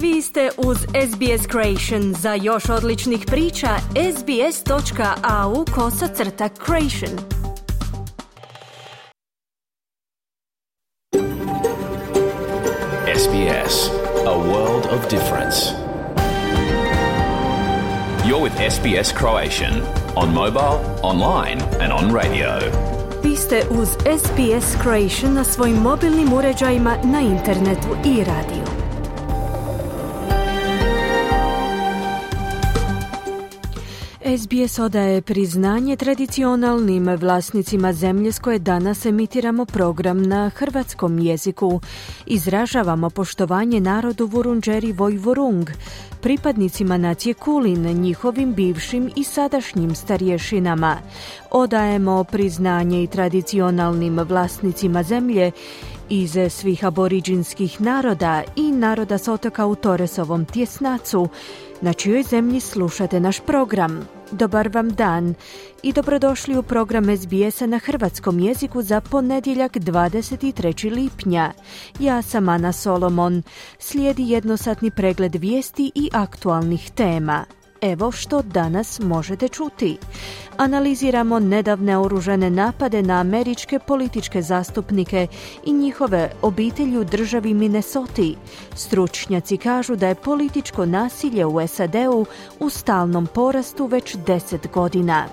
Vi ste uz SBS Creation. Za još odličnih priča, sbs.au/creation. SBS, a world of difference. You're with SBS Croatian on mobile, online and on radio. Vi ste uz SBS Creation na svojim mobilnim uređajima, na internetu i radiju. SBS odaje priznanje tradicionalnim vlasnicima zemlje s koje danas emitiramo program na hrvatskom jeziku. Izražavamo poštovanje narodu Vurundjeri Vojvurung, pripadnicima nacije Kulin, njihovim bivšim i sadašnjim starješinama. Odajemo priznanje i tradicionalnim vlasnicima zemlje iz svih aboriđinskih naroda i naroda s otoka u Torresovom tjesnacu, na čijoj zemlji slušate naš program. Dobar vam dan i dobrodošli u program SBS-a na hrvatskom jeziku za ponedjeljak 23. lipnja. Ja sam Ana Solomon. Slijedi jednosatni pregled vijesti i aktualnih tema. Evo što danas možete čuti. Analiziramo nedavne oružane napade na američke političke zastupnike i njihove obitelji u državi Minnesoti. Stručnjaci kažu da je političko nasilje u SAD-u u stalnom porastu već 10 godina.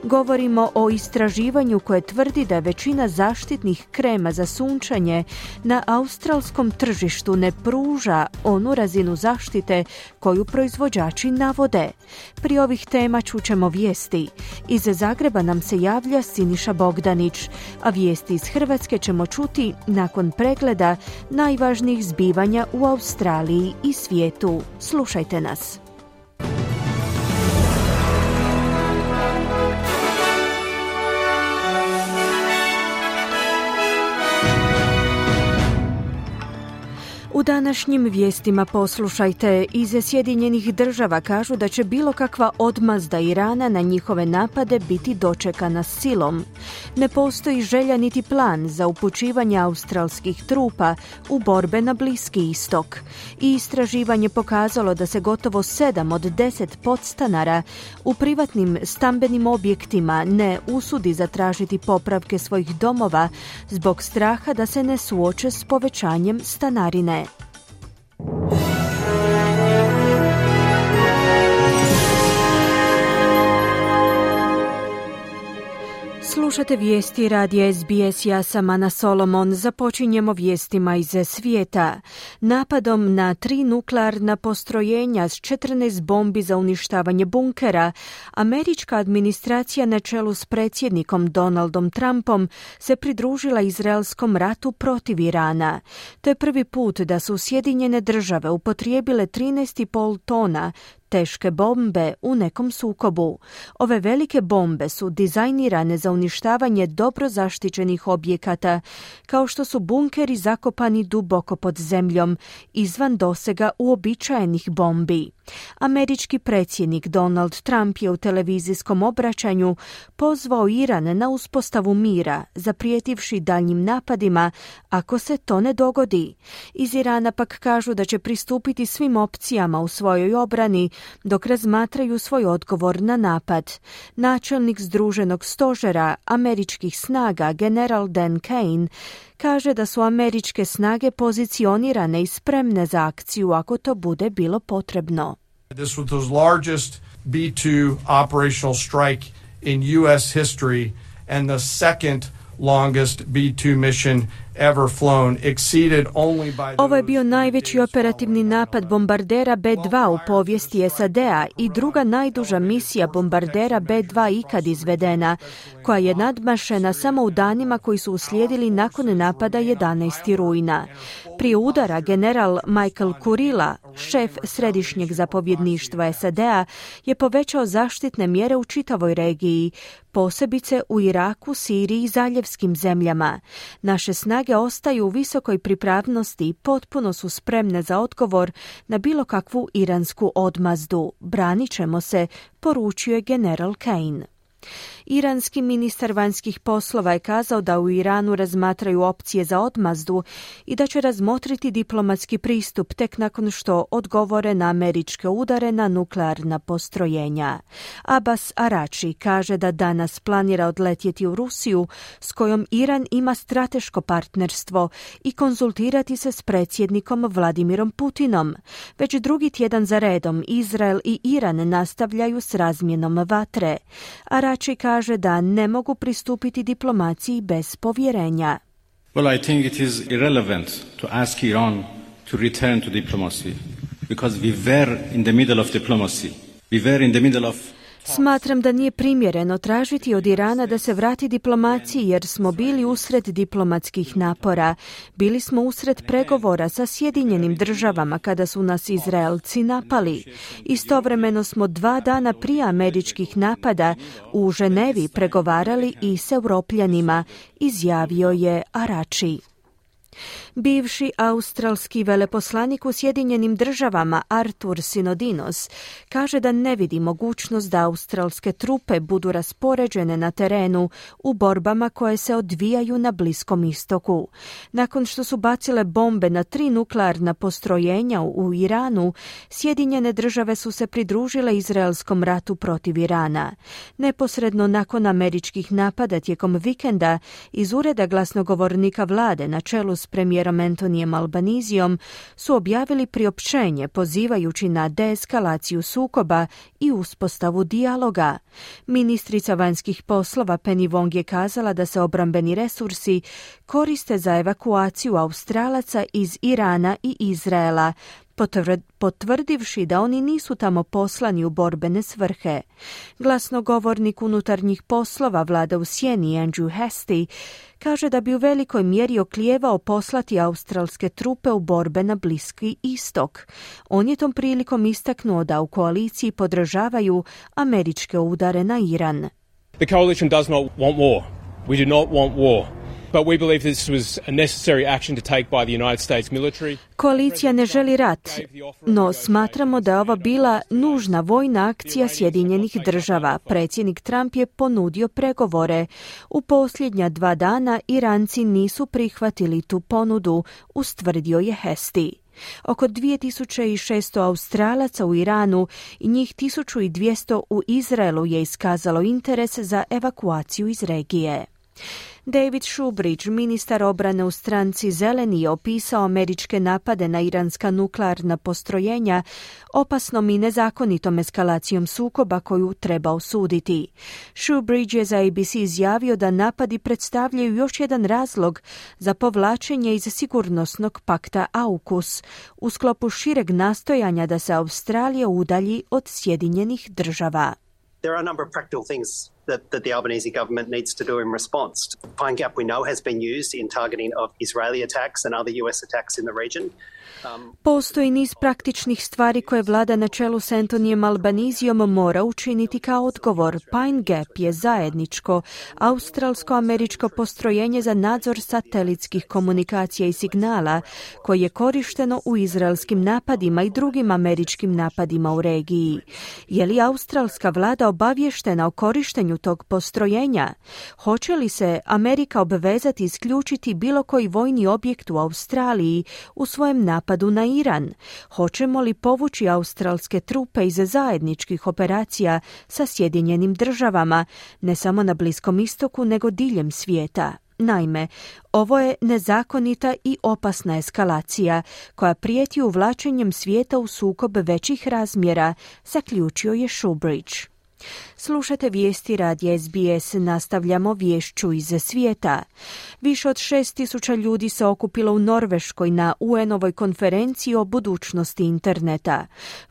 Govorimo o istraživanju koje tvrdi da većina zaštitnih krema za sunčanje na australskom tržištu ne pruža onu razinu zaštite koju proizvođači navode. Pri ovih tema čućemo vijesti. Iz Zagreba nam se javlja Siniša Bogdanić, a vijesti iz Hrvatske ćemo čuti nakon pregleda najvažnijih zbivanja u Australiji i svijetu. Slušajte nas. U današnjim vijestima poslušajte, iz Sjedinjenih država kažu da će bilo kakva odmazda Irana na njihove napade biti dočekana silom. Ne postoji želja niti plan za upućivanje australskih trupa u borbe na Bliski istok. I istraživanje pokazalo da se gotovo 7 od 10 podstanara u privatnim stambenim objektima ne usudi zatražiti popravke svojih domova zbog straha da se ne suoče s povećanjem stanarine. Slušate vijesti radija SBS, ja sam Ana Solomon. Započinjemo vijestima iz svijeta. Napadom na 3 nuklearna postrojenja s 14 bombi za uništavanje bunkera, američka administracija na čelu s predsjednikom Donaldom Trumpom se pridružila izraelskom ratu protiv Irana. To je prvi put da su Sjedinjene države upotrijebile 13,5 tona teške bombe u nekom sukobu. Ove velike bombe su dizajnirane za uništavanje dobro zaštićenih objekata, kao što su bunkeri zakopani duboko pod zemljom, izvan dosega uobičajenih bombi. Američki predsjednik Donald Trump je u televizijskom obraćanju pozvao Iran na uspostavu mira, zaprijetivši daljnjim napadima ako se to ne dogodi. Iz Irana pak kažu da će pristupiti svim opcijama u svojoj obrani dok razmatraju svoj odgovor na napad. Načelnik Združenog stožera američkih snaga, general Dan Kane, kaže da su američke snage pozicionirane i spremne za akciju ako to bude bilo potrebno. This was the largest B-2 operational strike in U.S. history and the second longest B-2 mission ever flown, exceeded only by Ovo je bio najveći operativni napad bombardera B-2 u povijesti SAD-a i druga najduža misija bombardera B-2 ikad izvedena, koja je nadmašena samo u danima koji su uslijedili nakon napada 11. rujna. Prije udara general Michael Kurilla, šef središnjeg zapovjedništva SAD-a, je povećao zaštitne mjere u čitavoj regiji, posebice u Iraku, Siriji i zaljevskim zemljama. Naše snage ostaju u visokoj pripravnosti i potpuno su spremne za odgovor na bilo kakvu iransku odmazdu. Branit ćemo se, poručio je general Kane. Iranski ministar vanjskih poslova je kazao da u Iranu razmatraju opcije za odmazdu i da će razmotriti diplomatski pristup tek nakon što odgovore na američke udare na nuklearna postrojenja. Abbas Araghchi kaže da danas planira odletjeti u Rusiju, s kojom Iran ima strateško partnerstvo, i konzultirati se s predsjednikom Vladimirom Putinom. Već drugi tjedan za redom Izrael i Iran nastavljaju s razmjenom vatre. Araghchi kaže da ne mogu pristupiti diplomaciji bez povjerenja. Well, I think it is irrelevant to ask Iran to return to diplomacy because we were in the middle of diplomacy. We were in the middle of Smatram da nije primjereno tražiti od Irana da se vrati diplomaciji jer smo bili usred diplomatskih napora. Bili smo usred pregovora sa Sjedinjenim državama kada su nas Izraelci napali. Istovremeno smo 2 dana prije američkih napada u Ženevi pregovarali i s Europljanima, izjavio je Araghchi. Bivši australski veleposlanik u Sjedinjenim državama Artur Sinodinos kaže da ne vidi mogućnost da australske trupe budu raspoređene na terenu u borbama koje se odvijaju na Bliskom istoku. Nakon što su bacile bombe na 3 nuklearna postrojenja u Iranu, Sjedinjene države su se pridružile izraelskom ratu protiv Irana. Neposredno nakon američkih napada tijekom vikenda iz ureda glasnogovornika vlade na čelu s premijerom Antonijem Albanizijom su objavili priopćenje pozivajući na deeskalaciju sukoba i uspostavu dijaloga. Ministrica vanjskih poslova Penny Wong je kazala da se obrambeni resursi koriste za evakuaciju Australaca iz Irana i Izraela, potvrdivši da oni nisu tamo poslani u borbene svrhe. Glasnogovornik unutarnjih poslova vlade u sjeni Andrew Hastie kaže da bi u velikoj mjeri oklijevao poslati australske trupe u borbe na Bliski istok. On je tom prilikom istaknuo da u koaliciji podržavaju američke udare na Iran. The coalition does not want war. We do not want war. But we believe this was a necessary action to take by the United States military. Koalicija ne želi rat, no smatramo da je ova bila nužna vojna akcija Sjedinjenih država. Predsjednik Trump je ponudio pregovore. U posljednja 2 dana Iranci nisu prihvatili tu ponudu, ustvrdio je Hastie. Oko 2600 Australaca u Iranu i njih 1200 u Izraelu je iskazalo interes za evakuaciju iz regije. David Shoebridge, ministar obrane u stranci Zeleni, je opisao američke napade na iranska nuklearna postrojenja opasnom i nezakonitom eskalacijom sukoba koju treba osuditi. Shoebridge je za ABC izjavio da napadi predstavljaju još jedan razlog za povlačenje iz sigurnosnog pakta AUKUS u sklopu šireg nastojanja da se Australija udalji od Sjedinjenih država. There are a number of practical things that the Albanese government needs to do in response. Pine Gap, we know, has been used in targeting of Israeli attacks and other US attacks in the region. Postoji niz praktičnih stvari koje vlada na čelu s Antonijem Albanizijom mora učiniti kao odgovor. Pine Gap je zajedničko australsko-američko postrojenje za nadzor satelitskih komunikacija i signala koje je korišteno u izraelskim napadima i drugim američkim napadima u regiji. Je li australska vlada obavještena o korištenju tog postrojenja? Hoće li se Amerika obvezati isključiti bilo koji vojni objekt u Australiji u svojem napadu na Iran? Hoćemo li povući australske trupe iz zajedničkih operacija sa Sjedinjenim državama, ne samo na Bliskom istoku, nego diljem svijeta? Naime, ovo je nezakonita i opasna eskalacija koja prijeti uvlačenjem svijeta u sukob većih razmjera, zaključio je Shoebridge. Slušate vijesti radija SBS, nastavljamo vješću iz svijeta. Više od 6.000 ljudi se okupilo u Norveškoj na UN-ovoj konferenciji o budućnosti interneta.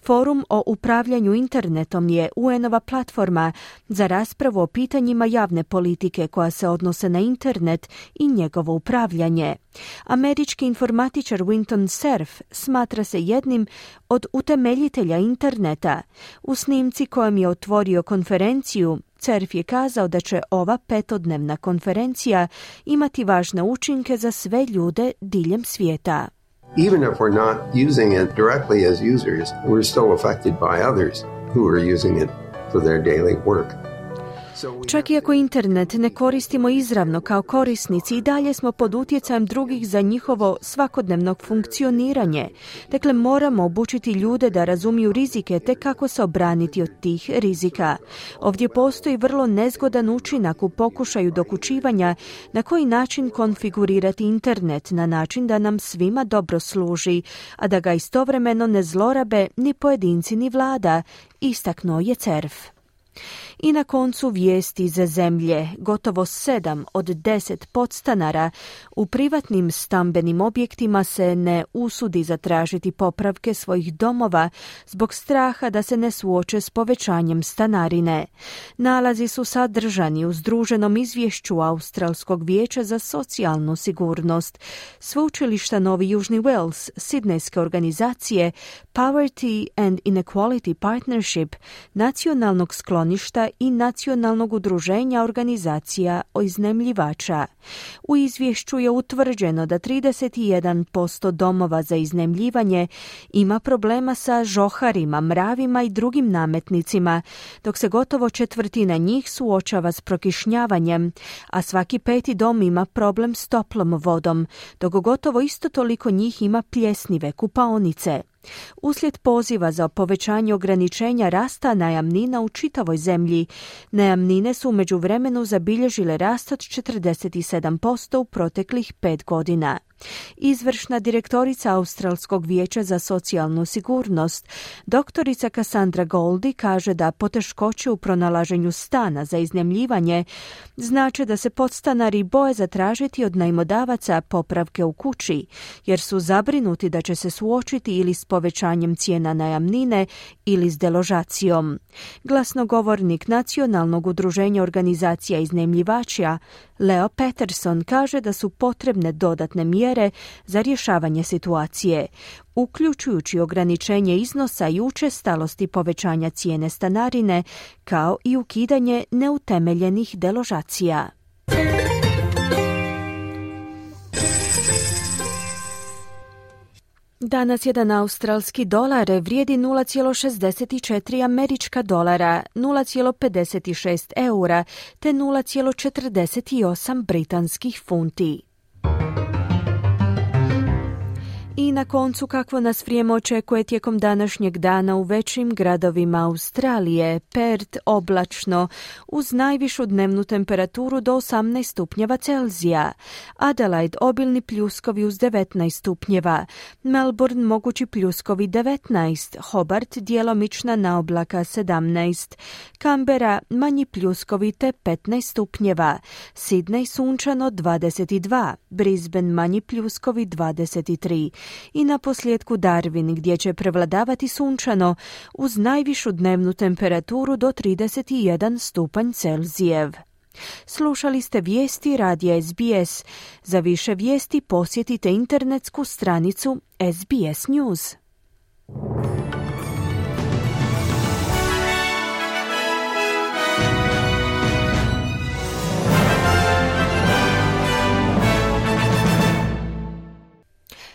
Forum o upravljanju internetom je UN-ova platforma za raspravu o pitanjima javne politike koja se odnose na internet i njegovo upravljanje. Američki informatičar Winton Cerf smatra se jednim od utemeljitelja interneta. U snimci kojem je otvorio konferenciju, Cerf je kazao da će ova 5-dnevna konferencija imati važne učinke za sve ljude diljem svijeta. Even if we're not using it directly as users, we're still affected by others who are using it for their daily work. Čak i ako internet ne koristimo izravno kao korisnici, i dalje smo pod utjecajem drugih za njihovo svakodnevno funkcioniranje. Dakle, moramo obučiti ljude da razumiju rizike te kako se obraniti od tih rizika. Ovdje postoji vrlo nezgodan učinak u pokušaju dokučivanja na koji način konfigurirati internet na način da nam svima dobro služi, a da ga istovremeno ne zlorabe ni pojedinci ni vlada, istaknuo je CERF. I na koncu vijesti iz zemlje. Gotovo 7 od 10 podstanara u privatnim stambenim objektima se ne usudi zatražiti popravke svojih domova zbog straha da se ne suoče s povećanjem stanarine. Nalazi su sadržani u združenom izvješću Australskog vijeća za socijalnu sigurnost, Sveučilišta Novi Južni Wales, sidnejske organizacije Poverty and Inequality Partnership, nacionalnog skloništa i nacionalnog udruženja organizacija iznajmljivača. U izvješću je utvrđeno da 31% domova za iznajmljivanje ima problema sa žoharima, mravima i drugim nametnicima, dok se gotovo četvrtina njih suočava s prokišnjavanjem, a svaki 5. dom ima problem s toplom vodom, dok gotovo isto toliko njih ima pljesnive kupaonice. Uslijed poziva za povećanje ograničenja rasta najamnina u čitavoj zemlji, najamnine su u međuvremenu zabilježile rast od 47% u proteklih 5 godina. Izvršna direktorica Australskog vijeća za socijalnu sigurnost, doktorica Cassandra Goldie, kaže da poteškoće u pronalaženju stana za iznajmljivanje znače da se podstanari boje zatražiti od najmodavaca popravke u kući, jer su zabrinuti da će se suočiti ili s povećanjem cijena najamnine ili s deložacijom. Glasnogovornik Nacionalnog udruženja organizacija iznajmljivača Leo Peterson kaže da su potrebne dodatne mjere za rješavanje situacije, uključujući ograničenje iznosa i učestalosti povećanja cijene stanarine, kao i ukidanje neutemeljenih deložacija. Danas jedan australski dolar vrijedi 0,64 američka dolara, 0,56 eura te 0,48 britanskih funti. I na koncu, kakvo nas vrijeme očekuje tijekom današnjeg dana u većim gradovima Australije. Perth oblačno uz najvišu dnevnu temperaturu do 18 stupnjeva Celzija. Adelaide obilni pljuskovi uz 19 stupnjeva. Melbourne mogući pljuskovi 19. Hobart djelomična naoblaka 17. Canberra manji pljuskovi te 15 stupnjeva. Sydney sunčano 22. Brisbane manji pljuskovi 23. I na posljedku Darwin, gdje će prevladavati sunčano uz najvišu dnevnu temperaturu do 31 stupanj Celzijev. Slušali ste vijesti radija SBS. Za više vijesti posjetite internetsku stranicu SBS News.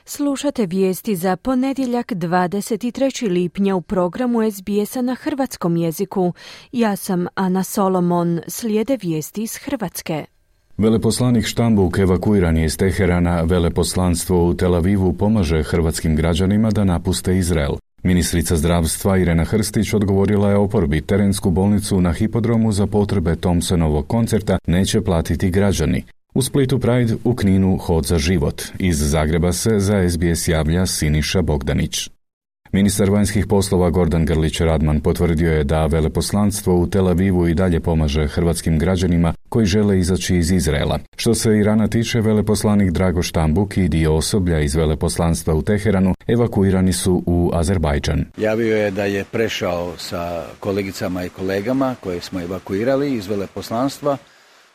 Slušate vijesti za ponedjeljak 23. lipnja u programu SBS-a na hrvatskom jeziku. Ja sam Ana Solomon, slijede vijesti iz Hrvatske. Veleposlanik Štambuk evakuiran je iz Teherana, veleposlanstvo u Tel Avivu pomaže hrvatskim građanima da napuste Izrael. Ministrica zdravstva Irena Hrstić odgovorila je oporbi, terensku bolnicu na hipodromu za potrebe Thompsonovog koncerta neće platiti građani. U Splitu Pride, u Kninu Hod za život. Iz Zagreba se za SBS javlja Siniša Bogdanić. Ministar vanjskih poslova Gordan Grlić-Radman potvrdio je da veleposlanstvo u Tel Avivu i dalje pomaže hrvatskim građanima koji žele izaći iz Izraela. Što se Irana tiče, veleposlanik Drago Štambuk i dio osoblja iz veleposlanstva u Teheranu evakuirani su u Azerbajdžan. Javio je da je prešao sa kolegicama i kolegama koje smo evakuirali iz veleposlanstva,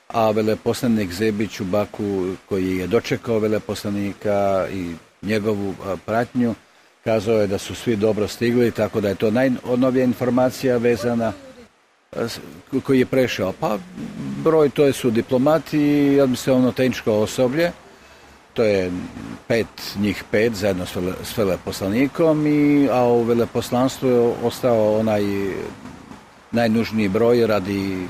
a veleposlanik Zebić u Baku, koji je dočekao veleposlanika i njegovu pratnju, kazao je da su svi dobro stigli, tako da je to najnovija informacija vezana koji je prešao. Pa broj to su diplomati i administrativno tehničko osoblje, to je njih pet zajedno s veleposlanikom, a u veleposlanstvu je ostao onaj najnužniji broj radi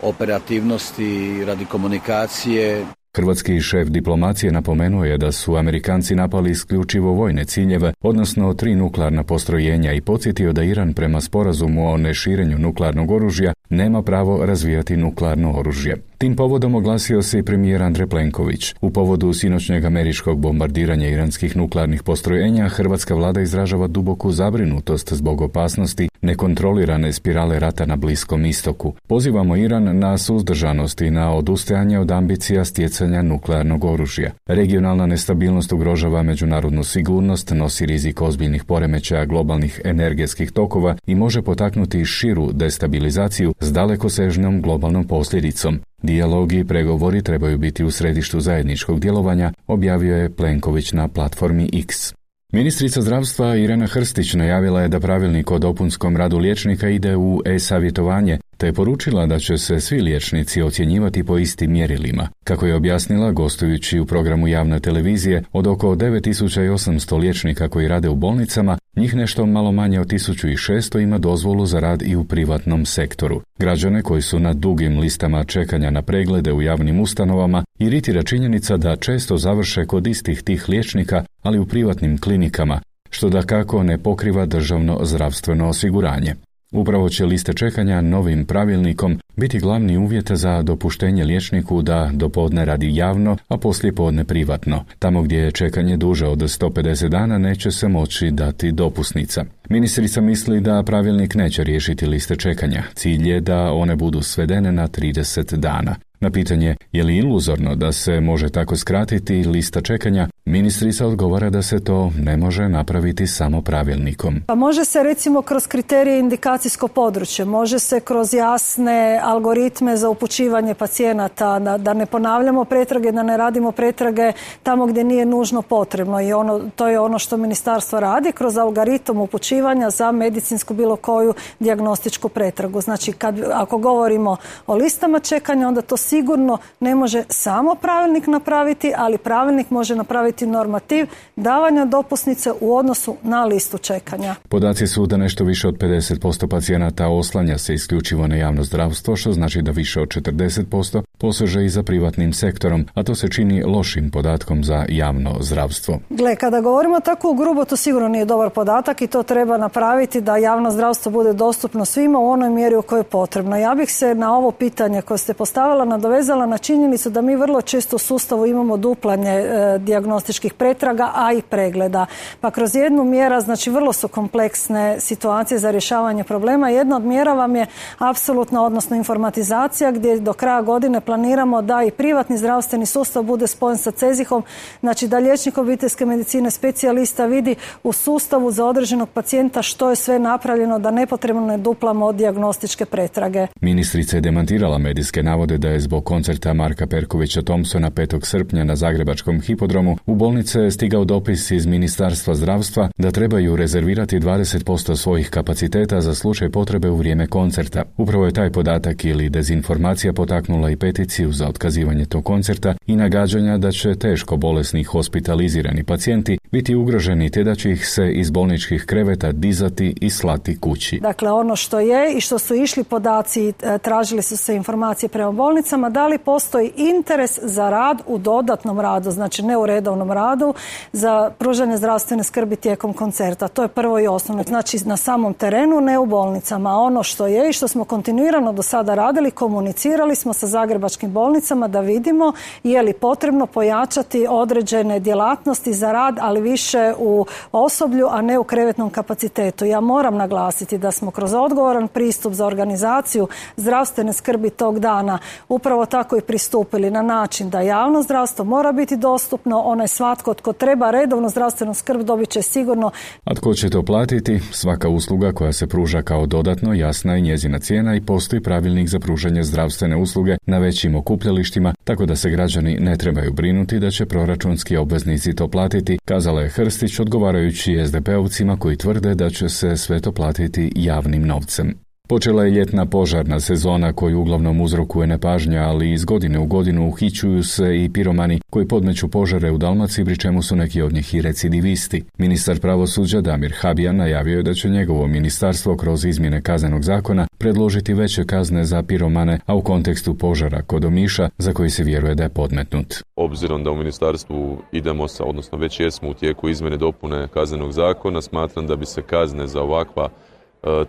operativnosti, radi komunikacije. Hrvatski šef diplomacije napomenuo je da su Amerikanci napali isključivo vojne ciljeve, odnosno 3 nuklearna postrojenja i podsjetio da Iran prema sporazumu o neširenju nuklearnog oružja nema pravo razvijati nuklearno oružje. Tim povodom oglasio se i premijer Andrej Plenković. U povodu sinoćnjeg američkog bombardiranja iranskih nuklearnih postrojenja, hrvatska vlada izražava duboku zabrinutost zbog opasnosti nekontrolirane spirale rata na Bliskom istoku. Pozivamo Iran na suzdržanost i na odustajanje od ambicija stjecanja nuklearnog oružja. Regionalna nestabilnost ugrožava međunarodnu sigurnost, nosi rizik ozbiljnih poremećaja globalnih energetskih tokova i može potaknuti širu destabilizaciju s dalekosežnom globalnom posljedicom. Dijalog i pregovori trebaju biti u središtu zajedničkog djelovanja, objavio je Plenković na platformi X. Ministrica zdravstva Irena Hrstić najavila je da pravilnik o dopunskom radu liječnika ide u e-savjetovanje, te je poručila da će se svi liječnici ocjenjivati po istim mjerilima. Kako je objasnila, gostujući u programu javne televizije, od oko 9800 liječnika koji rade u bolnicama, njih nešto malo manje od 1600 ima dozvolu za rad i u privatnom sektoru. Građane koji su na dugim listama čekanja na preglede u javnim ustanovama iritira činjenica da često završe kod istih tih liječnika, ali u privatnim klinikama, što dakako ne pokriva državno zdravstveno osiguranje. Upravo će liste čekanja novim pravilnikom biti glavni uvjet za dopuštenje liječniku da dopodne radi javno, a poslijepodne privatno. Tamo gdje je čekanje duže od 150 dana neće se moći dati dopusnica. Ministrica misli da pravilnik neće riješiti liste čekanja. Cilj je da one budu svedene na 30 dana. Na pitanje je li iluzorno da se može tako skratiti lista čekanja, ministrica odgovara da se to ne može napraviti samo pravilnikom. Pa može se recimo kroz kriterije indikacijsko područje, može se kroz jasne algoritme za upućivanje pacijenata, da ne ponavljamo pretrage, da ne radimo pretrage tamo gdje nije nužno potrebno i to je ono što ministarstvo radi kroz algoritam upućivanja za medicinsku bilo koju dijagnostičku pretragu. Znači ako govorimo o listama čekanja, onda to sigurno ne može samo pravilnik napraviti, ali pravilnik može napraviti normativ davanja dopusnice u odnosu na listu čekanja. Podaci su da nešto više od 50% pacijenata oslanja se isključivo na javno zdravstvo, što znači da više od 40% poseže i za privatnim sektorom, a to se čini lošim podatkom za javno zdravstvo. Gle, kada govorimo tako grubo, to sigurno nije dobar podatak i to treba napraviti da javno zdravstvo bude dostupno svima u onoj mjeri u kojoj je potrebno. Ja bih se na ovo pitanje koje ste postavila nadovezala na činjenicu da mi vrlo često u sustavu imamo duplanje dijagnostičkih pretraga, a i pregleda. Pa kroz jednu mjera, znači vrlo su kompleksne situacije za rješavanje problema. Jedna od mjera vam je apsolutna, odnosno informatizacija, gdje do kraja godine planiramo da i privatni zdravstveni sustav bude spojen sa CEZIH-om, znači da liječnik obiteljske medicine, specijalista vidi u sustavu za određenog pacijenta što je sve napravljeno da nepotrebno ne duplamo dijagnostičke pretrage. Ministrica je demantirala medijske navode da je zbog koncerta Marka Perkovića Thompsona 5. srpnja na Zagrebačkom hipodromu u bolnice je stigao dopis iz Ministarstva zdravstva da trebaju rezervirati 20% svojih kapaciteta za slučaj potrebe u vrijeme koncerta. Upravo je taj podatak ili dezinformacija potaknula i peticiju za otkazivanje tog koncerta i nagađanja da će teško bolesni hospitalizirani pacijenti biti ugroženi te da će ih se iz bolničkih kreveta dizati i slati kući. Dakle, ono što je i što su išli podaci, tražili su se informacije prema bolnicama, da li postoji interes za rad u dodatnom radu, znači ne u redovnom radu, za pružanje zdravstvene skrbi tijekom koncerta. To je prvo i osnovno. Znači na samom terenu, ne u bolnicama. Ono što je i što smo kontinuirano do sada radili, komunicirali smo sa zagrebačkim bolnicama da vidimo je li potrebno pojačati određene djelatnosti za rad, ali više u osoblju, a ne u krevetnom kapacitetu. Ja moram naglasiti da smo kroz odgovoran pristup za organizaciju zdravstvene skrbi tog dana upravo tako i pristupili na način da javno zdravstvo mora biti dostupno, onaj svatko tko treba redovnu zdravstvenu skrb dobit će sigurno. A tko će to platiti? Svaka usluga koja se pruža kao dodatno jasna je njezina cijena i postoji pravilnik za pružanje zdravstvene usluge na većim okupljalištima, tako da se građani ne trebaju brinuti da će proračunski obveznici to platiti, kazala je Hrstić odgovarajući SDP-ovcima koji tvrde da će se sve to platiti javnim novcem. Počela je ljetna požarna sezona koju uglavnom uzrokuje nepažnja, ali iz godine u godinu uhićuju se i piromani koji podmeću požare u Dalmaciji, pri čemu su neki od njih i recidivisti. Ministar pravosuđa Damir Habijan najavio je da će njegovo ministarstvo kroz izmjene kaznenog zakona predložiti veće kazne za piromane, a u kontekstu požara kod Omiša, za koji se vjeruje da je podmetnut. Obzirom da u ministarstvu idemo odnosno već jesmo u tijeku izmjene dopune kaznenog zakona, smatram da bi se kazne za ovakva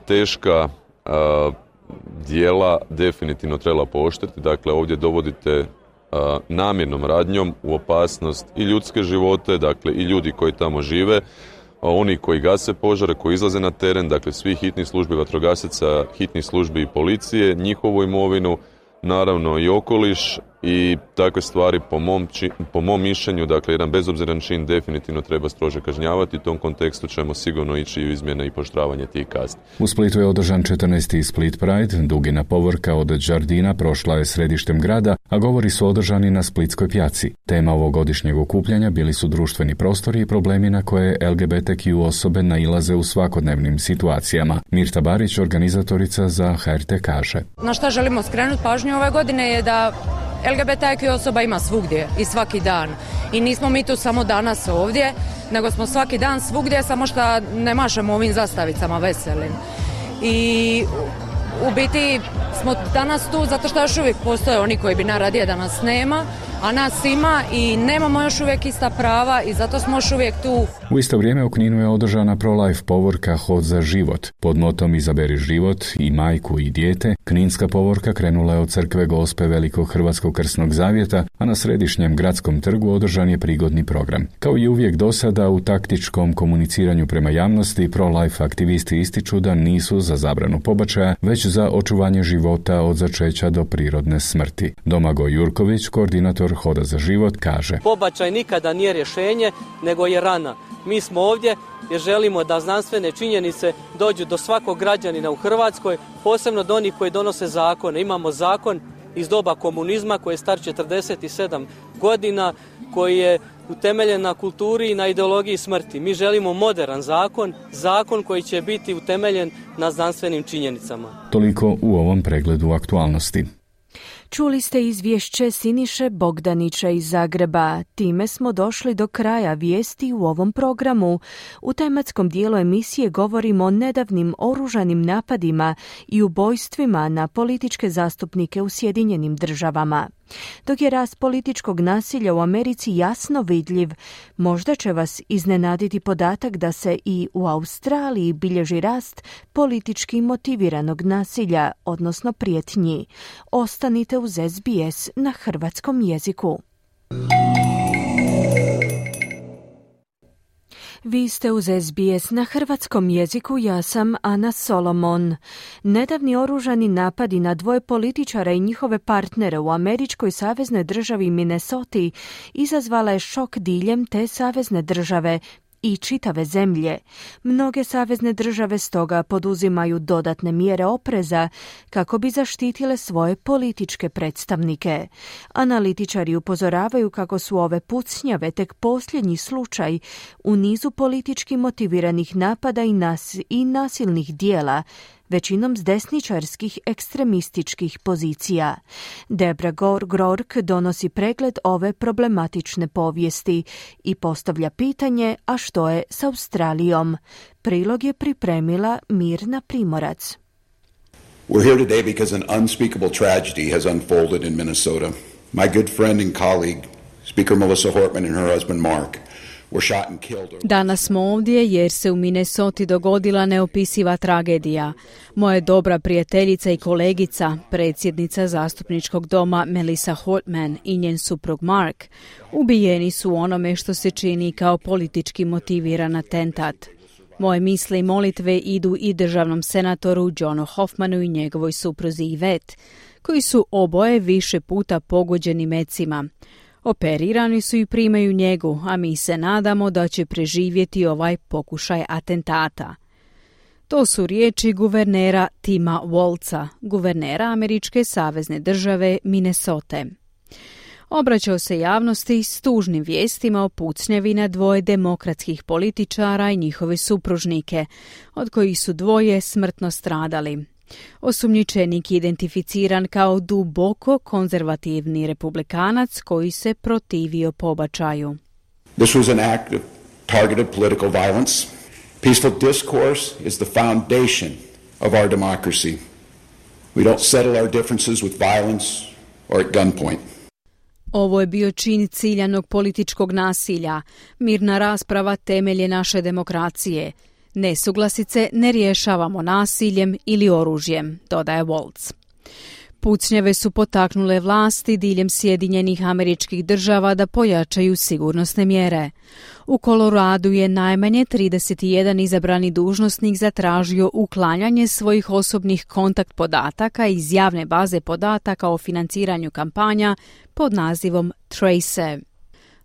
teška djela definitivno trebala pooštriti. Dakle, ovdje dovodite namjernom radnjom u opasnost i ljudske živote, dakle i ljudi koji tamo žive, oni koji gase požare, koji izlaze na teren, dakle svih hitnih službi vatrogasaca, hitnih službi i policije, njihovu imovinu, naravno i okoliš, i takve stvari po mom mišljenju, dakle jedan bezobziran čin definitivno treba strože kažnjavati. U tom kontekstu ćemo sigurno ići u izmjene i pooštravanje tih kazni. U Splitu je održan 14. Split Pride. Dugina povorka od Đardina prošla je središtem grada, a govori su održani na Splitskoj pjaci. Tema ovogodišnjeg okupljanja bili su društveni prostori i problemi na koje LGBTQ osobe nailaze u svakodnevnim situacijama. Mirta Barić, organizatorica za HRT, kaže: Na šta želimo skrenuti pažnju ove godine je da LGBTQ osoba ima svugdje i svaki dan. I nismo mi tu samo danas ovdje, nego smo svaki dan svugdje, samo što ne mašemo ovim zastavicama veselim. I u biti smo danas tu zato što još uvijek postoje oni koji bi najradije da nas nema, a nas ima i nemamo još uvijek ista prava i zato smo još uvijek tu. U isto vrijeme u Kninu je održana pro-life povorka Hod za život. Pod motom Izaberi život i majku i dijete, kninska povorka krenula je od crkve Gospe Velikog Hrvatskog krsnog zavjeta, a na središnjem gradskom trgu održan je prigodni program. Kao i uvijek do sada, u taktičkom komuniciranju prema javnosti, pro-life aktivisti ističu da nisu za zabranu pobačaja, već za očuvanje života od začeća do prirodne smrti. Domagoj Jurković, koordinator Hoda za život, kaže: Pobačaj nikada nije rješenje, nego je rana. Mi smo ovdje jer želimo da znanstvene činjenice dođu do svakog građanina u Hrvatskoj, posebno do onih koji donose zakone. Imamo zakon iz doba komunizma koji je star 47 godina, koji je utemeljen na kulturi i na ideologiji smrti. Mi želimo moderan zakon koji će biti utemeljen na znanstvenim činjenicama. Toliko u ovom pregledu aktualnosti. Čuli ste izvješće Siniše Bogdanića iz Zagreba. Time smo došli do kraja vijesti u ovom programu. U tematskom dijelu emisije govorimo o nedavnim oružanim napadima i ubojstvima na političke zastupnike u Sjedinjenim Državama. Dok je rast političkog nasilja u Americi jasno vidljiv, možda će vas iznenaditi podatak da se i u Australiji bilježi rast politički motiviranog nasilja, odnosno prijetnji. Ostanite uz SBS na hrvatskom jeziku. Vi ste uz SBS na hrvatskom jeziku, ja sam Ana Solomon. Nedavni oružani napadi na dvoje političara i njihove partnere u američkoj saveznoj državi Minnesota izazvala je šok diljem te savezne države i čitave zemlje. Mnoge savezne države stoga poduzimaju dodatne mjere opreza kako bi zaštitile svoje političke predstavnike. Analitičari upozoravaju kako su ove pucnjave tek posljednji slučaj u nizu politički motiviranih napada i nasilnih dijela, većinom s desničarskih ekstremističkih pozicija. Debra Gork donosi pregled ove problematične povijesti i postavlja pitanje, a što je s Australijom? Prilog je pripremila Mirna Primorac. We're here today because an unspeakable tragedy has unfolded in Minnesota. My good friend and colleague, Speaker Melissa Hortman and her husband Mark, danas smo ovdje jer se u Minnesoti dogodila neopisiva tragedija. Moja dobra prijateljica i kolegica, predsjednica zastupničkog doma Melissa Hortman i njen suprug Mark, ubijeni su u onome što se čini kao politički motiviran atentat. Moje misli i molitve idu i državnom senatoru Johnu Hoffmanu i njegovoj supruzi Yvette, koji su oboje više puta pogođeni mecima. Operirani su i primaju njegu, a mi se nadamo da će preživjeti ovaj pokušaj atentata. To su riječi guvernera Tima Walza, guvernera američke savezne države Minnesota. Obraćao se javnosti s tužnim vijestima o pucnjavi na dvoje demokratskih političara i njihove supružnike, od kojih su dvoje smrtno stradali. Osumnjičenik je identificiran kao duboko konzervativni republikanac koji se protivio pobačaju. This was an act of targeted political violence. Peaceful discourse is the foundation of our democracy. We don't settle our differences with violence or at gunpoint. Ovo je bio čin ciljanog političkog nasilja. Mirna rasprava temelje naše demokracije. Nesuglasice ne rješavamo nasiljem ili oružjem, dodaje Waltz. Pucnjave su potaknule vlasti diljem Sjedinjenih Američkih Država da pojačaju sigurnosne mjere. U Koloradu je najmanje 31 izabrani dužnosnik zatražio uklanjanje svojih osobnih kontakt podataka iz javne baze podataka o financiranju kampanja pod nazivom Trace.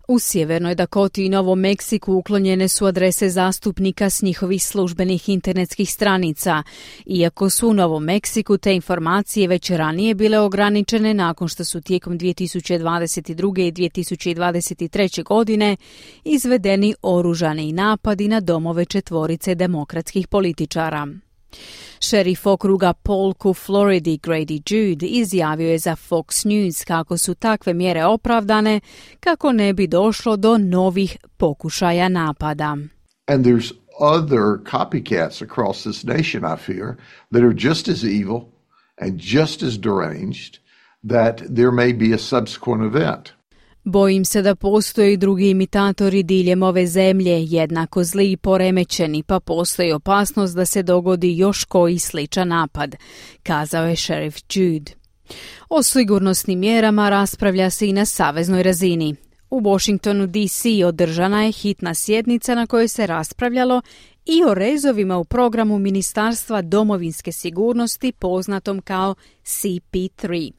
U Sjevernoj Dakoti i Novom Meksiku uklonjene su adrese zastupnika s njihovih službenih internetskih stranica, iako su u Novom Meksiku te informacije već ranije bile ograničene nakon što su tijekom 2022. i 2023. godine izvedeni oružani napadi na domove 4 demokratskih političara. Šerif okruga Polk u Floridi Grady Jude izjavio je za Fox News kako su takve mjere opravdane kako ne bi došlo do novih pokušaja napada. And there's other copycats across this nation, I fear, that are just as evil and just as deranged that there may be a subsequent event. Bojim se da postoje i drugi imitatori diljem ove zemlje, jednako zli i poremećeni, pa postoji opasnost da se dogodi još koji sličan napad, kazao je šerif Jude. O sigurnosnim mjerama raspravlja se i na saveznoj razini. U Washingtonu DC održana je hitna sjednica na kojoj se raspravljalo i o rezovima u programu Ministarstva domovinske sigurnosti poznatom kao CP3.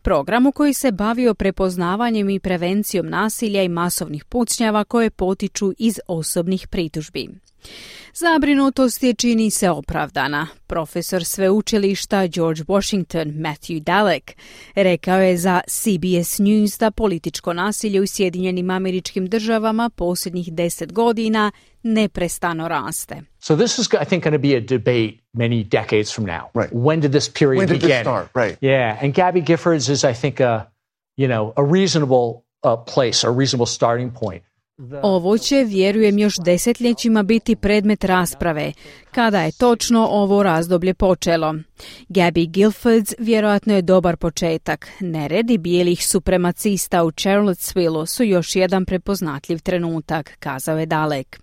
Programu koji se bavio prepoznavanjem i prevencijom nasilja i masovnih pucnjava koje potiču iz osobnih pritužbi. Zabrinutost je čini se opravdana. Profesor sveučilišta George Washington Matthew Dalek rekao je za CBS News da političko nasilje u Sjedinjenim Američkim Državama posljednjih 10 godina neprestano raste. So this is, I think, going to be a debate many decades from now. Right. When did this period begin? When did this start? Right. Yeah, and Gabby Giffords is, I think, a reasonable place, a reasonable starting point. Ovo će, vjerujem, još desetljećima biti predmet rasprave, kada je točno ovo razdoblje počelo. Gabby Giffords vjerojatno je dobar početak. Neredi bijelih supremacista u Charlottesville su još jedan prepoznatljiv trenutak, kazao je Dalek.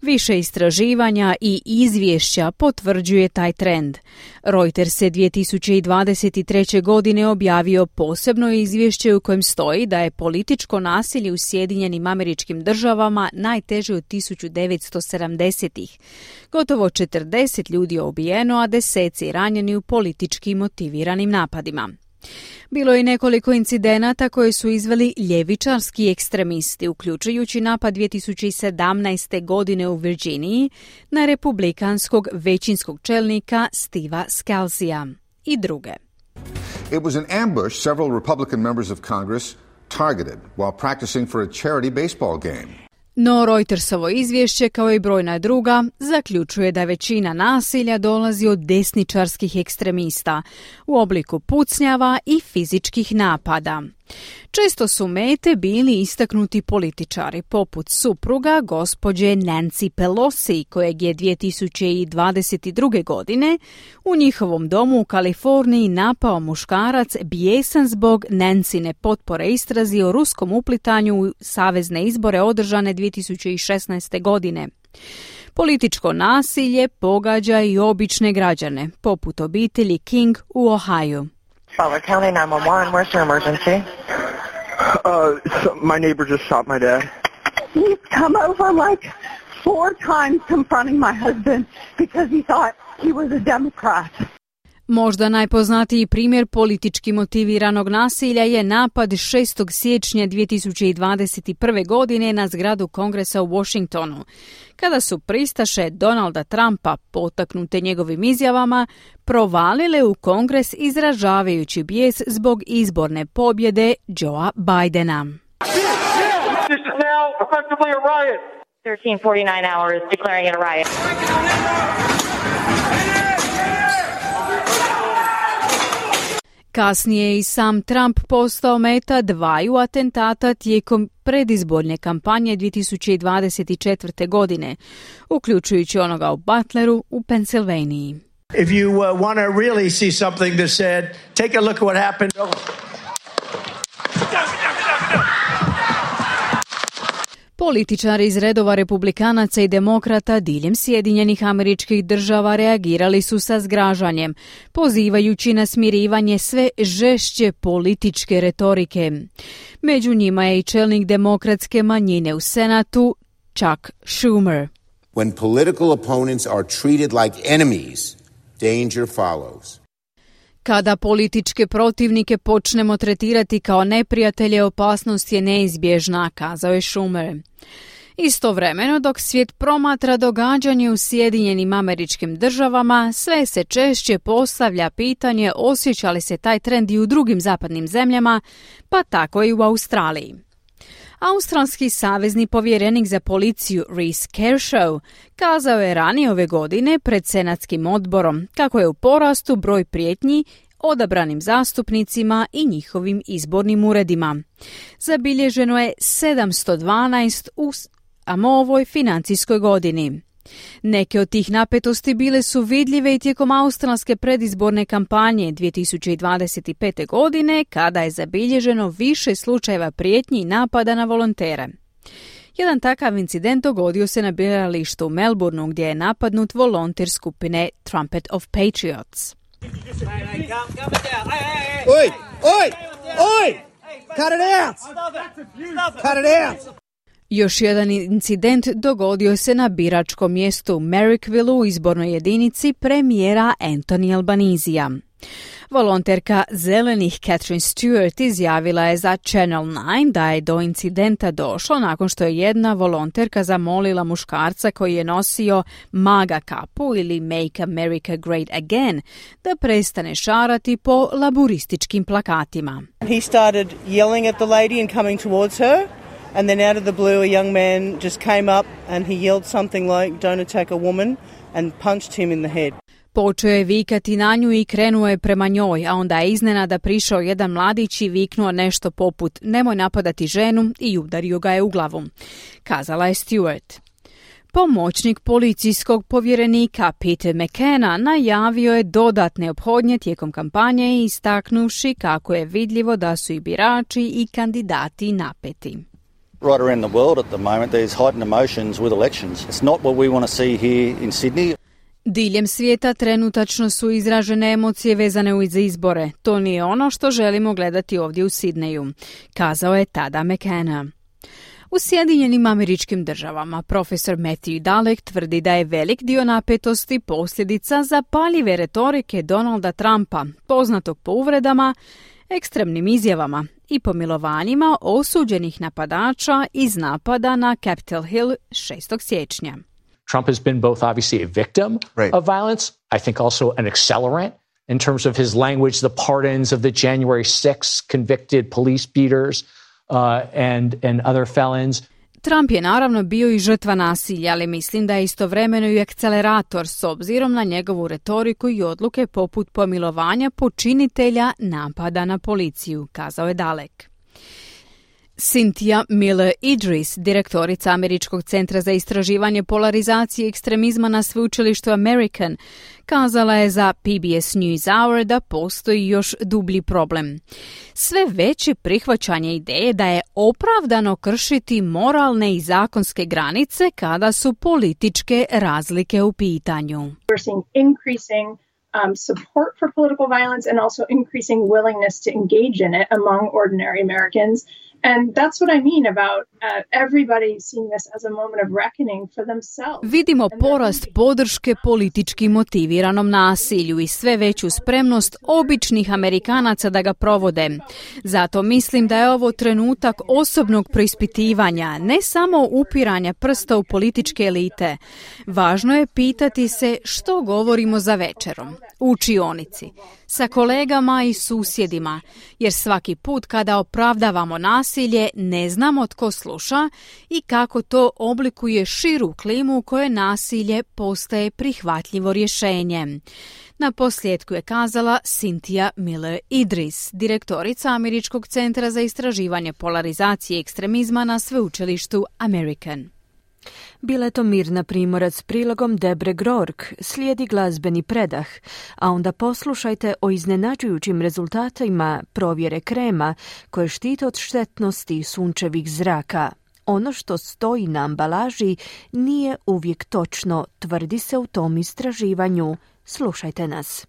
Više istraživanja i izvješća potvrđuje taj trend. Reuters je 2023. godine objavio posebno izvješće u kojem stoji da je političko nasilje u Sjedinjenim Američkim Državama najteže od 1970-ih. Gotovo 40 ljudi je ubijeno, a deseci ranjeni u politički motiviranim napadima. Bilo je nekoliko incidenata koje su izveli ljevičarski ekstremisti, uključujući napad 2017. godine u Virginiji na republikanskog većinskog čelnika Steva Scalzija i druge. It was an ambush several Republican members of Congress targeted while practicing for a charity baseball game. No Reutersovo izvješće, kao i brojna druga, zaključuje da većina nasilja dolazi od desničarskih ekstremista u obliku pucnjava i fizičkih napada. Često su mete bili istaknuti političari, poput supruga gospođe Nancy Pelosi, kojeg je 2022. godine u njihovom domu u Kaliforniji napao muškarac bijesan zbog Nancyne potpore istrazi o ruskom uplitanju u savezne izbore održane 2016. godine. Političko nasilje pogađa i obične građane, poput obitelji King u Ohaju. Butler County 911, where's your emergency? My neighbor just shot my dad. He's come over like 4 times confronting my husband because he thought he was a Democrat. Možda najpoznatiji primjer politički motiviranog nasilja je napad 6. siječnja 2021. godine na zgradu Kongresa u Washingtonu, kada su pristaše Donalda Trumpa, potaknute njegovim izjavama, provalile u Kongres izražavajući bijes zbog izborne pobjede Joea Bidena. This is now effectively a riot. 1349 hours declaring it a riot. Kasnije je i sam Trump postao meta dvaju atentata tijekom predizborne kampanje 2024. godine, uključujući onoga u Butleru u Pensilvaniji. If you want to really see something that said, take a look at what happened. Političari iz redova republikanaca i demokrata diljem Sjedinjenih Američkih Država reagirali su sa zgražanjem, pozivajući na smirivanje sve žešće političke retorike. Među njima je i čelnik demokratske manjine u Senatu, Chuck Schumer. When political opponents are treated like enemies, danger follows. Kada političke protivnike počnemo tretirati kao neprijatelje, opasnost je neizbježna, kazao je Schumer. Istovremeno, dok svijet promatra događanje u Sjedinjenim Američkim Državama, sve se češće postavlja pitanje osjeća li se taj trend i u drugim zapadnim zemljama, pa tako i u Australiji. Australski savezni povjerenik za policiju Reece Kershaw kazao je ranije ove godine pred Senatskim odborom kako je u porastu broj prijetnji odabranim zastupnicima i njihovim izbornim uredima. Zabilježeno je 712 u ovoj financijskoj godini. Neke od tih napetosti bile su vidljive i tijekom australske predizborne kampanje 2025. godine, kada je zabilježeno više slučajeva prijetnji i napada na volontere. Jedan takav incident dogodio se na biralištu u Melbourneu, gdje je napadnut volonter skupine Trumpet of Patriots. Oi! Oi! Oi! Cut it out! Cut it out! Još jedan incident dogodio se na biračkom mjestu u Marrickville u izbornoj jedinici premijera Anthony Albanisija. Volonterka Zelenih Catherine Stewart izjavila je za Channel 9 da je do incidenta došlo nakon što je jedna volonterka zamolila muškarca koji je nosio MAGA kapu ili Make America Great Again da prestane šarati po laburističkim plakatima. He started yelling at the lady and coming towards her. And then out of the blue, a young man just came up and he yelled something like, "Don't attack a woman," and punched him in the head. Počeo je vikati na nju i krenuo je prema njoj, a onda je iznenada prišao jedan mladić i viknuo nešto poput "Nemoj napadati ženu" i udario ga je u glavu, kazala je Stewart. Pomoćnik policijskog povjerenika Peter McKenna najavio je dodatne ophodnje tijekom kampanje, istaknuvši kako je vidljivo da su i birači i kandidati napeti. Right around the world at the moment there's heightened emotions with elections. It's not what we want to see here in Sydney. Diljem svijeta trenutačno su izražene emocije vezane uz izbore. To nije ono što želimo gledati ovdje u Sidneju, kazao je tada McKenna. U Sjedinjenim Američkim Državama profesor Matthew Dalek tvrdi da je velik dio napetosti posljedica zapaljive retorike Donalda Trumpa, poznatog po uvredama, ekstremnim izjavama i pomilovanjima osuđenih napadača iz napada na Capitol Hill 6. siječnja. Trump has been both obviously a victim of violence, I think also an accelerant in terms of his language, the pardons of the January 6 convicted police beaters and other felons. Trump je naravno bio i žrtva nasilja, ali mislim da je istovremeno i akcelerator s obzirom na njegovu retoriku i odluke poput pomilovanja počinitelja napada na policiju, kazao je Dalek. Cynthia Miller-Idris, direktorica Američkog centra za istraživanje polarizacije i ekstremizma na sveučilištu American, kazala je za PBS NewsHour da postoji još dublji problem. Sve veće prihvaćanje ideje da je opravdano kršiti moralne i zakonske granice kada su političke razlike u pitanju. We're seeing increasing support for political violence and also increasing willingness to engage in it among ordinary Americans. And that's what I mean about everybody seeing this as a moment of reckoning for themselves. Vidimo porast podrške politički motiviranom nasilju i sve veću spremnost običnih Amerikanaca da ga provode. Zato mislim da je ovo trenutak osobnog preispitivanja, ne samo upiranja prsta u političke elite. Važno je pitati se što govorimo za večerom, u učionici, sa kolegama i susjedima, jer svaki put kada opravdavamo nasilje ne znamo tko sluša i kako to oblikuje širu klimu u kojoj nasilje postaje prihvatljivo rješenje. Na posljedku je kazala Cynthia Miller Idris, direktorica Američkog centra za istraživanje polarizacije i ekstremizma na sveučilištu American. Bila je to Mirna Primorac s prilogom Debre Grork, slijedi glazbeni predah, a onda poslušajte o iznenađujućim rezultatima provjere krema koje štite od štetnosti sunčevih zraka. Ono što stoji na ambalaži nije uvijek točno, tvrdi se u tom istraživanju. Slušajte nas.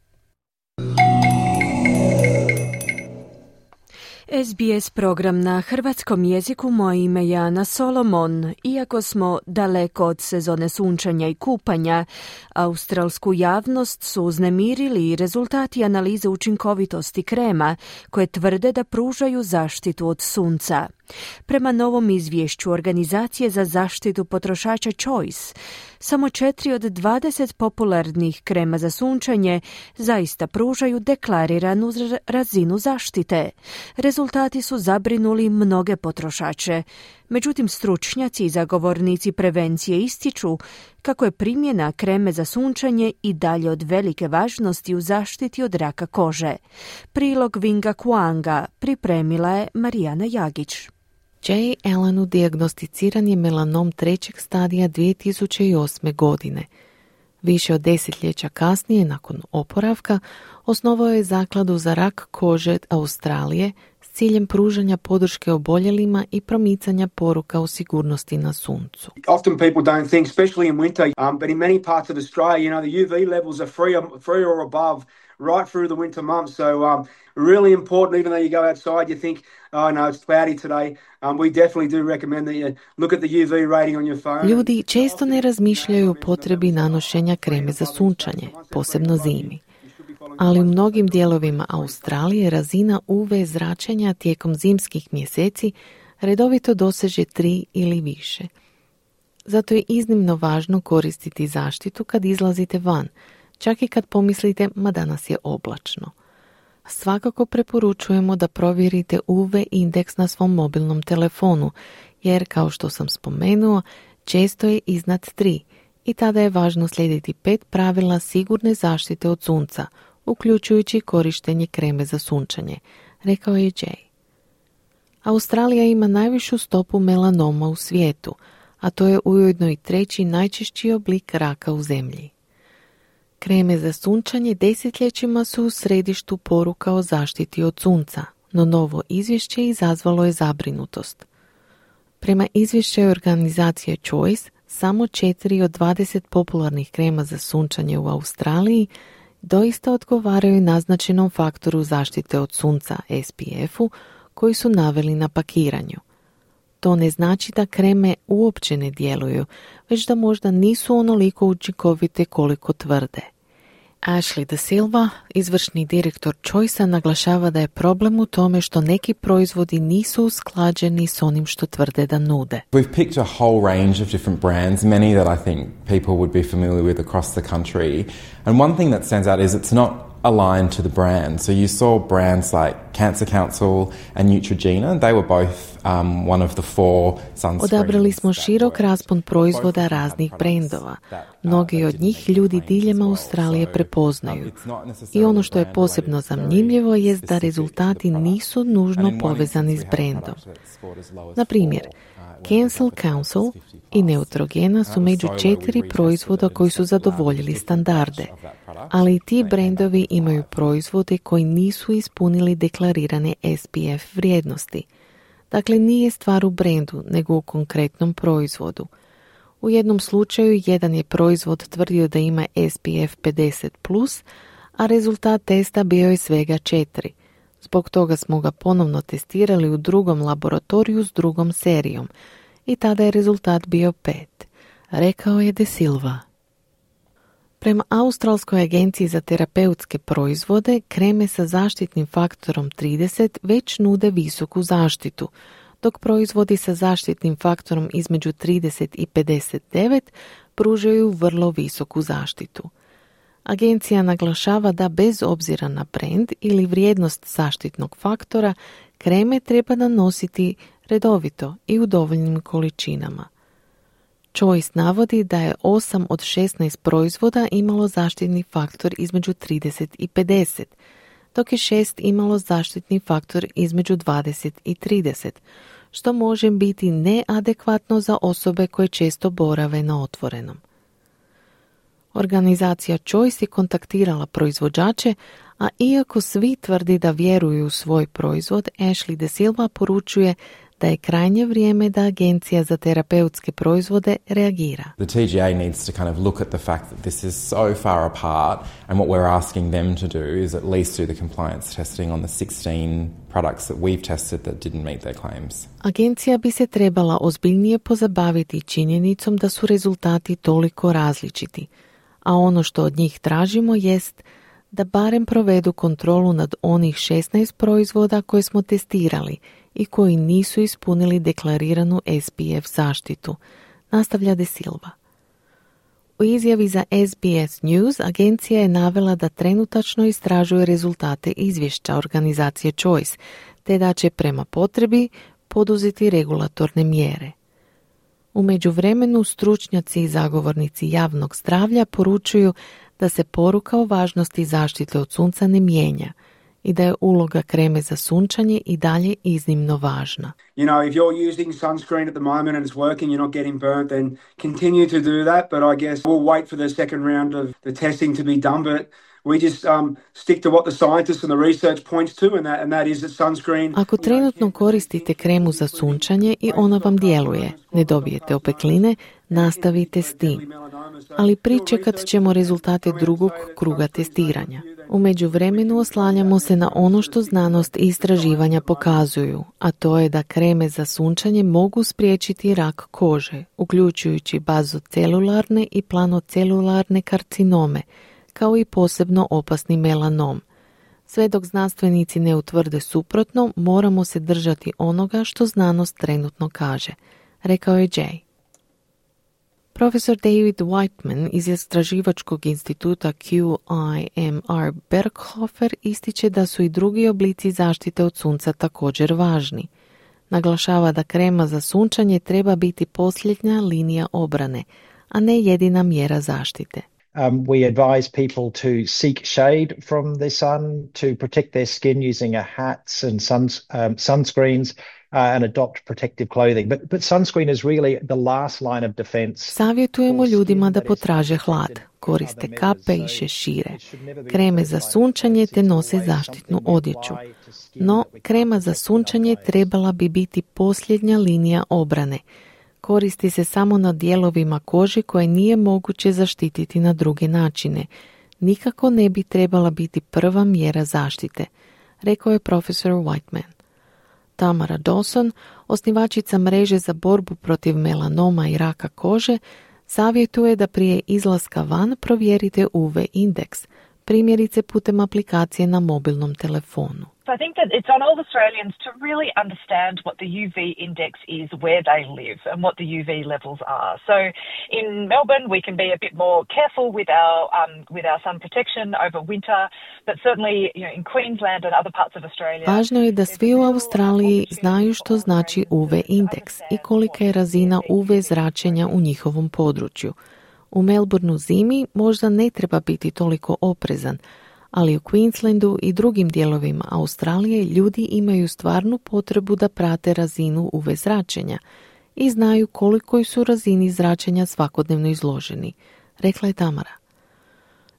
SBS program na hrvatskom jeziku, moje ime je Ana Solomon. Iako smo daleko od sezone sunčanja i kupanja, australsku javnost su uznemirili rezultati analize učinkovitosti krema koje tvrde da pružaju zaštitu od sunca. Prema novom izvješću Organizacije za zaštitu potrošača Choice, samo 4 od 20 popularnih krema za sunčanje zaista pružaju deklariranu razinu zaštite. Rezultati su zabrinuli mnoge potrošače. Međutim, stručnjaci i zagovornici prevencije ističu kako je primjena kreme za sunčanje i dalje od velike važnosti u zaštiti od raka kože. Prilog Vinga Kuanga pripremila je Marijana Jagić. Jay Allenu dijagnosticiran je melanom 3. stadija 2008. godine. Više od desetljeća kasnije, nakon oporavka, osnovao je zakladu za rak kože Australije s ciljem pružanja podrške oboljelima i promicanja poruka o sigurnosti na suncu. Often people don't think, especially in winter, but in many parts of Australia, the UV levels are three or above right through the winter months. So really important, even though you go outside, you think, oh no, it's cloudy today. We definitely do recommend that you look at the UV rating on your phone. Ljudi često ne razmišljaju o potrebi nanošenja kreme za sunčanje, posebno zimi. Ali u mnogim dijelovima Australije razina UV zračenja tijekom zimskih mjeseci redovito doseže 3 ili više. Zato je iznimno važno koristiti zaštitu kad izlazite van, čak i kad pomislite, ma danas je oblačno. Svakako preporučujemo da provjerite UV indeks na svom mobilnom telefonu, jer, kao što sam spomenuo, često je iznad 3 i tada je važno slijediti 5 pravila sigurne zaštite od sunca, uključujući korištenje kreme za sunčanje, rekao je Jay. Australija ima najvišu stopu melanoma u svijetu, a to je ujedno i 3. najčešći oblik raka u zemlji. Kreme za sunčanje desetljećima su u središtu poruka o zaštiti od sunca, no novo izvješće izazvalo je zabrinutost. Prema izvješću organizacije Choice, samo 4 od 20 popularnih krema za sunčanje u Australiji doista odgovaraju naznačenom faktoru zaštite od sunca SPF-u koji su naveli na pakiranju. To ne znači da kreme uopće ne djeluju, već da možda nisu onoliko učinkovite koliko tvrde. Ashley De Silva, izvršni direktor Choice-a, naglašava da je problem u tome što neki proizvodi nisu usklađeni s onim što tvrde da nude. We've picked a whole range of different brands, many that I think people would be familiar with across the country. And one thing that stands out is it's not aligned to the brand. So you saw brands like Cancer Council and Neutrogena. They were both one of the 4 sunscreens. Odabrali smo širok raspon proizvoda raznih brendova. Mnogi od njih ljudi diljem Australije prepoznaju. I ono što je posebno zanimljivo je da rezultati nisu nužno povezani s brendom. Na primjer, Cancer Council i Neutrogena su među 4 proizvoda koji su zadovoljili standarde, ali i ti brendovi imaju proizvode koji nisu ispunili deklarirane SPF vrijednosti. Dakle, nije stvar u brendu, nego u konkretnom proizvodu. U jednom slučaju jedan je proizvod tvrdio da ima SPF 50+, a rezultat testa bio je svega 4. Zbog toga smo ga ponovno testirali u drugom laboratoriju s drugom serijom i tada je rezultat bio 5, rekao je De Silva. Prema Australskoj agenciji za terapeutske proizvode, kreme sa zaštitnim faktorom 30 već nude visoku zaštitu, dok proizvodi sa zaštitnim faktorom između 30 i 59 pružaju vrlo visoku zaštitu. Agencija naglašava da bez obzira na brend ili vrijednost zaštitnog faktora, kreme treba nanositi redovito i u dovoljnim količinama. Choice navodi da je 8 od 16 proizvoda imalo zaštitni faktor između 30 i 50, dok je 6 imalo zaštitni faktor između 20 i 30, što može biti neadekvatno za osobe koje često borave na otvorenom. Organizacija Choice je kontaktirala proizvođače, a iako svi tvrdi da vjeruju u svoj proizvod, Ashley De Silva poručuje da je krajnje vrijeme da Agencija za terapeutske proizvode reagira. The TGA needs to kind of look at the fact that this is so far apart, and what we're asking them to do is at least do the compliance testing on the 16 products that we've tested that didn't meet their claims. Agencija bi se trebala ozbiljnije pozabaviti činjenicom da su rezultati toliko različiti, a ono što od njih tražimo jest da barem provedu kontrolu nad onih 16 proizvoda koje smo testirali i koji nisu ispunili deklariranu SPF zaštitu, nastavlja De Silva. U izjavi za SBS News agencija je navela da trenutačno istražuje rezultate izvješća organizacije Choice, te da će prema potrebi poduzeti regulatorne mjere. U međuvremenu stručnjaci i zagovornici javnog zdravlja poručuju da se poruka o važnosti zaštite od sunca ne mijenja i da je uloga kreme za sunčanje i dalje iznimno važna. You know, if you're using sunscreen at the moment and it's working, you're not getting burnt, then continue to do that. But I guess we'll wait for the second round of the testing to be done. But we just stick to what the scientists and the research points to, and that is that sunscreen. Ako trenutno koristite kremu za sunčanje i ona vam djeluje, ne dobijete opekline, nastavite s tim. Ali pričekat ćemo rezultate drugog kruga testiranja. U međuvremenu oslanjamo se na ono što znanost i istraživanja pokazuju, a to je da kreme za sunčanje mogu spriječiti rak kože, uključujući bazocelularne i planocelularne karcinome, kao i posebno opasni melanom. Sve dok znanstvenici ne utvrde suprotno, moramo se držati onoga što znanost trenutno kaže, rekao je Jay. Profesor David Whiteman iz istraživačkog instituta QIMR Berghofer ističe da su i drugi oblici zaštite od sunca također važni. Naglašava da krema za sunčanje treba biti posljednja linija obrane, a ne jedina mjera zaštite. We advise people to seek shade from the sun, to protect their skin using hats and sunscreens, and adopt protective clothing. But sunscreen is really the last line of defense. Savjetujemo ljudima da potraže hlad, koriste kape i šešire, kreme za sunčanje te nose zaštitnu odjeću. No, krema za sunčanje trebala bi biti posljednja linija obrane. Koristi se samo na dijelovima kože koje nije moguće zaštititi na druge načine. Nikako ne bi trebala biti prva mjera zaštite, rekao je profesor Whiteman. Tamara Dawson, osnivačica mreže za borbu protiv melanoma i raka kože, savjetuje da prije izlaska van provjerite UV indeks, primjerice putem aplikacije na mobilnom telefonu. So I think that it's on all Australians to really understand what the UV index is where they live and what the UV levels are. So in Melbourne we can be a bit more careful with our sun protection over winter, but certainly in Queensland and other parts of Australia. Važno je da svi u Australiji znaju što znači UV indeks i kolika je razina UV zračenja u njihovom području. U Melbourneu zimi možda ne treba biti toliko oprezan, ali u Queenslandu i drugim dijelovima Australije ljudi imaju stvarnu potrebu da prate razinu UV zračenja i znaju kolikoj su razini zračenja svakodnevno izloženi, rekla je Tamara.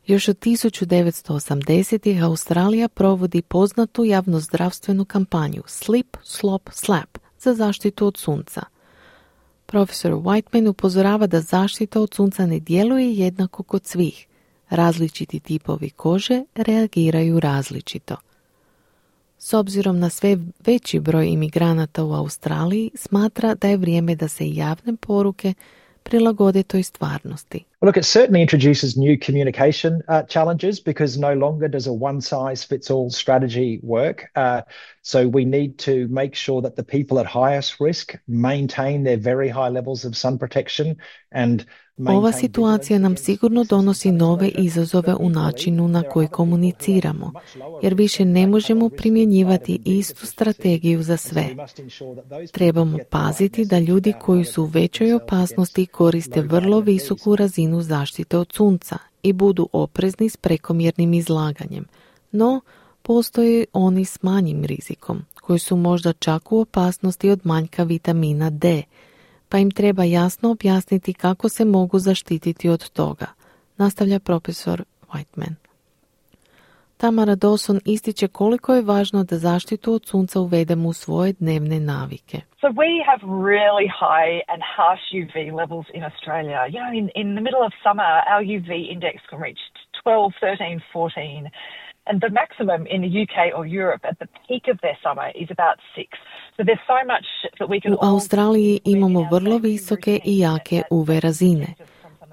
Još od 1980-ih Australija provodi poznatu javnozdravstvenu kampanju Slip, Slop, Slap za zaštitu od sunca. Profesor Whiteman upozorava da zaštita od sunca ne djeluje jednako kod svih. Različiti tipovi kože reagiraju različito. S obzirom na sve veći broj imigranata u Australiji, smatra da je vrijeme da se javne poruke prilagode toj stvarnosti. Look, it certainly introduces new communication challenges because no longer does a one-size-fits-all strategy work. So we need to make sure that the people at highest risk maintain their very high levels of sun protection and Ova situacija nam sigurno donosi nove izazove u načinu na koji komuniciramo, jer više ne možemo primjenjivati istu strategiju za sve. Trebamo paziti da ljudi koji su u većoj opasnosti koriste vrlo visoku razinu zaštite od sunca i budu oprezni s prekomjernim izlaganjem. No, postoje oni s manjim rizikom, koji su možda čak u opasnosti od manjka vitamina D, pa im treba jasno objasniti kako se mogu zaštititi od toga, nastavlja profesor Whiteman. Tamara Dawson ističe koliko je važno da zaštitu od sunca uvedemo u svoje dnevne navike. So we have really high and harsh UV levels in Australia. You know, in the middle of summer, our UV index can reach 12, 13, 14. And the maximum in the UK or Europe at the peak of their summer is about 6. So there's so much that we can U Australiji imamo vrlo visoke i jake UV razine.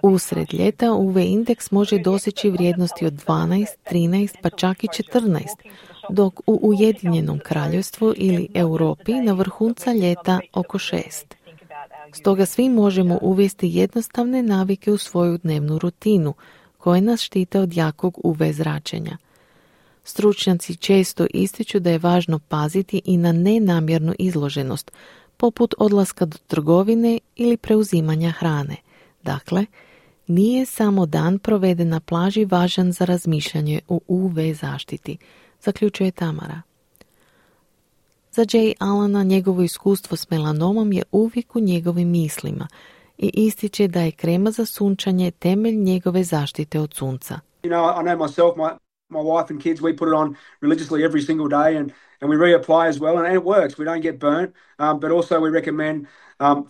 Usred ljeta UV indeks može doseći vrijednosti od 12, 13 pa čak i 14, dok u Ujedinjenom kraljevstvu ili Europi na vrhunca ljeta oko 6. Stoga svi možemo uvesti jednostavne navike u svoju dnevnu rutinu koje nas štite od jakog UV zračenja. Stručnjaci često ističu da je važno paziti i na nenamjernu izloženost, poput odlaska do trgovine ili preuzimanja hrane. Dakle, nije samo dan proveden na plaži važan za razmišljanje o UV zaštiti, zaključuje Tamara. Za Jay Allana njegovo iskustvo s melanomom je uvijek u njegovim mislima i ističe da je krema za sunčanje temelj njegove zaštite od sunca. You know, I know myself, my wife and kids, we put it on religiously every single day and we reapply as well, and it works. We don't get burnt, but also we recommend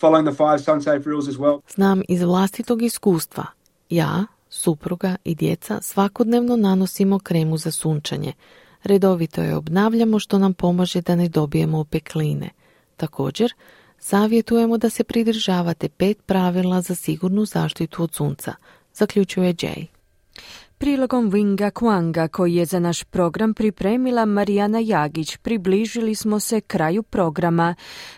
following the 5 sun-safe rules as well. Znam iz vlastitog iskustva. Ja, supruga i djeca svakodnevno nanosimo kremu za sunčanje. Redovito je obnavljamo što nam pomaže da ne dobijemo opekline. Također, savjetujemo da se pridržavate 5 pravila za sigurnu zaštitu od sunca, zaključuje Jay. Prilogom Winga Kwanga koji je za naš program pripremila Marijana Jagić, približili smo se kraju programa.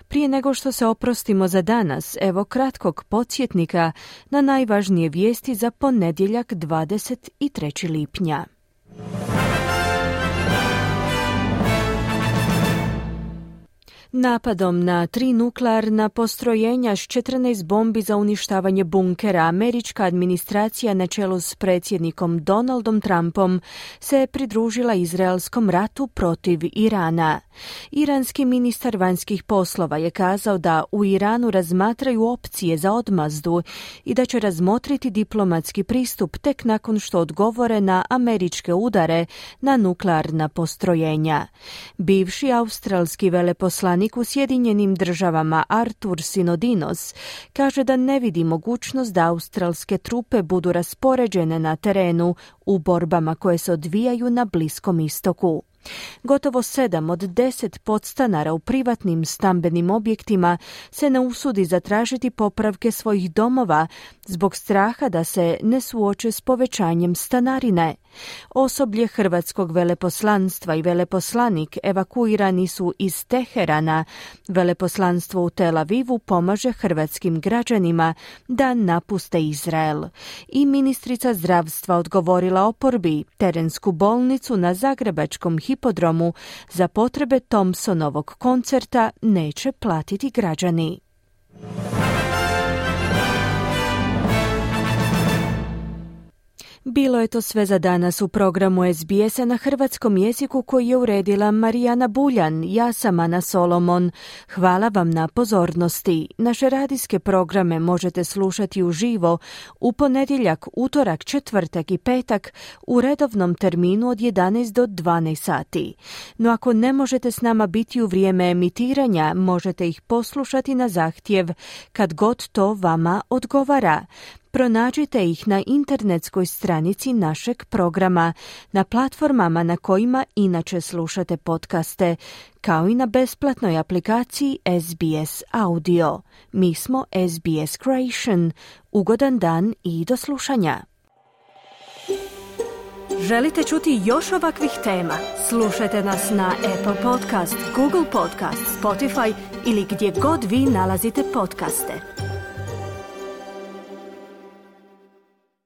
Prije nego što se oprostimo za danas, evo kratkog podsjetnika na najvažnije vijesti za ponedjeljak 23. lipnja. Napadom na 3 nuklearna postrojenja s 14 bombi za uništavanje bunkera, američka administracija na čelu s predsjednikom Donaldom Trumpom se pridružila izraelskom ratu protiv Irana. Iranski ministar vanjskih poslova je kazao da u Iranu razmatraju opcije za odmazdu i da će razmotriti diplomatski pristup tek nakon što odgovore na američke udare na nuklearna postrojenja. Bivši australski veleposlanik u Sjedinjenim državama Artur Sinodinos kaže da ne vidi mogućnost da australske trupe budu raspoređene na terenu u borbama koje se odvijaju na Bliskom istoku. Gotovo 7 od 10 podstanara u privatnim stambenim objektima se ne usudi zatražiti popravke svojih domova zbog straha da se ne suoče s povećanjem stanarine. Osoblje hrvatskog veleposlanstva i veleposlanik evakuirani su iz Teherana. Veleposlanstvo u Tel Avivu pomaže hrvatskim građanima da napuste Izrael. I ministrica zdravstva odgovorila oporbi terensku bolnicu na zagrebačkom hipodromu za potrebe Thompsonovog koncerta neće platiti građani. Bilo je to sve za danas u programu SBS-a na hrvatskom jeziku koji je uredila Marijana Buljan. Ja sam Ana Solomon. Hvala vam na pozornosti. Naše radijske programe možete slušati uživo u ponedjeljak, utorak, četvrtak i petak u redovnom terminu od 11 do 12 sati. No ako ne možete s nama biti u vrijeme emitiranja, možete ih poslušati na zahtjev kad god to vama odgovara. Pronađite ih na internetskoj stranici našeg programa, na platformama na kojima inače slušate podcaste, kao i na besplatnoj aplikaciji SBS Audio. Mi smo SBS Creation. Ugodan dan i do slušanja. Želite čuti još ovakvih tema? Slušajte nas na Apple Podcast, Google Podcast, Spotify ili gdje god vi nalazite podcaste.